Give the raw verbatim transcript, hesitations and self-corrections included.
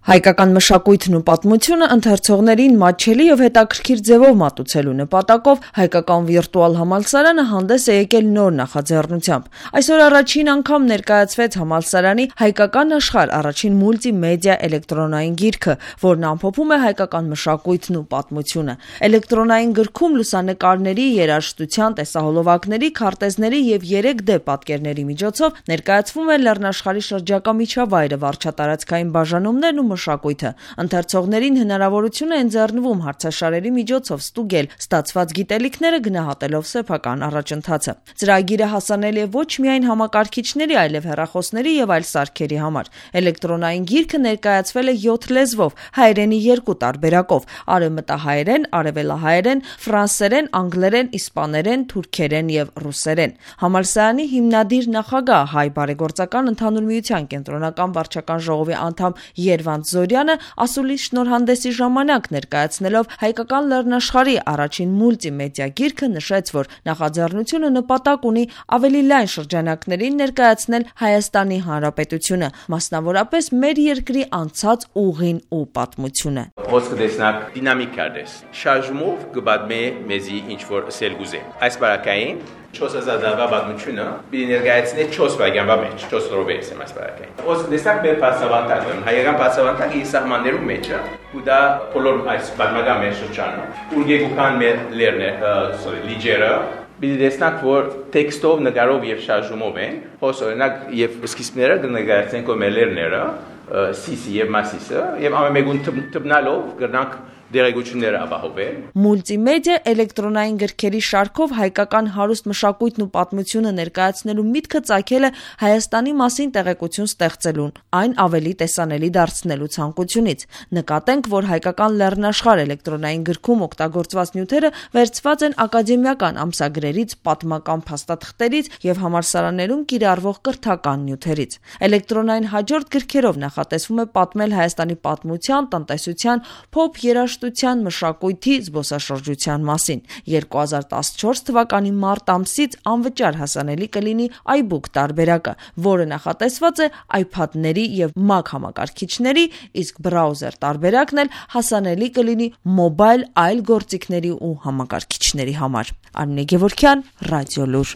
Հայկական մշակույթն ու պատմությունը ընթերցողներին մատչելի եւ հետաքրքիր ձևով մատուցելու նպատակով հայկական վիրտուալ համալսարանը հանդես է եկել նոր նախաձեռնությամբ։ Այսօր առաջին անգամ ներկայացվեց համալսարանի «Հայկական աշխարհ» առաջին մուլտիմեդիա էլեկտրոնային գիրքը, որն ամփոփում է հայկական մշակույթն ու պատմությունը։ Էլեկտրոնային գրքում լուսանկարների, երաժշտության, տեսահոլովակների, քարտեզների եւ երեք դե պատկերների միջոցով ներկայացվում է Լեռնաշխարհի շրջակա միջավայրը, վարչատարածքային բաժանումներն ու մշակույթը։ Ընթերցողներին հնարավորություն է ընձեռնվում հարցաշարերի միջոցով ստուգել ստացված գիտելիքները գնահատելով սեփական առաջընթացը։ Ծրագիրը հասանելի է ոչ միայն համակարգիչների, այլև հեռախոսների եւ այլ սարքերի համար։ Էլեկտրոնային գիրքը ներկայացվել է յոթ լեզվով, հայերենի երկու տարբերակով՝ արևմտահայերեն, արևելահայերեն, ֆրանսերեն, անգլերեն, իսպաներեն, թուրքերեն եւ ռուսերեն։ Համալսարանի հիմնադիր նախագահ, Հայ բարեգործական ընդհանուր միության կենտրոնական վարչական ժողովի անդամ Երվանդ Զորյանը ասուլիս շնորհանդեսի ժամանակ ներկայացնելով հայկական լեռնաշխարհի առաջին մուլտիմեդիա գիրքը նշեց, որ նախաձեռնությունը նպատակ ունի ավելի լայն շրջանակներին ներկայացնել Հայաստանի Հանրապետությունը, մասնավորապես մեր երկրի անցած ուղին ու պատմությունը։ Խոսքը տեսնակ դինամիկ կարդես։ Շարժումով կբադմե մեզի ինչ-որ սել գուզե։ Այս բարակային չորս հազար դարվա պատմությունը պիտի ներկայացնի չորս վայրկյանվա մեջ, չորս րոպե եմ այս բարակային։ Խոսքը տեսնակ մեր բացավանդակը, հայկական բացավանդակը իր սահմաններում մեջ է, ու դա բոլոր այս պատմական մեր շրջանը, ուր գեկուքան մեր լերն է, sorry, լիջերը Պիտի տեսնակ, որ տեքստով, նկարով եւ շարժումով են, հոս օրինակ եւ սկիզբները կներկայացնենք մեր լերները, սիսի եւ մասիսը, եւ ամենեգուն տպնալով կրնանք դերեկությունները ապահովել։ Մուլտիմեդիա էլեկտրոնային գրքերի շարքով հայկական հարուստ մշակույթն ու պատմությունը ներկայացնելու միտքը ծագել է Հայաստանի մասին տեղեկություն ստեղծելուն, այն ավելի տեսանելի դարձնելու ցանկությունից։ Նկատենք, որ հայկական լեռնաշխարհ էլեկտրոնային գրքում օգտագործված նյութերը վերցված են ակադեմիական ամսագրերից, պատմական փաստաթղթերից եւ համալսարաններում կիրառվող կրթական նյութերից։ Էլեկտրոնային հաջորդ գրքերով նախատեսվում է պատմել Հայաստանի պատմության, տնտեսության, փոփ երաժշտության, մշակույթի, զբոսաշրջության մասին։ երկու հազար տասնչորս թվականի մարտ ամսից անվճար հասանելի կլինի iBook տարբերակը, որը նախատեսված է iPad-ների եւ Mac համակարգիչների, իսկ բրաուզեր տարբերակն էլ հասանելի կլինի մոբայլ այլ գործիքների ու համակարգիչների համար։ Արմինե Գևորգյան, Ռադիոլուր։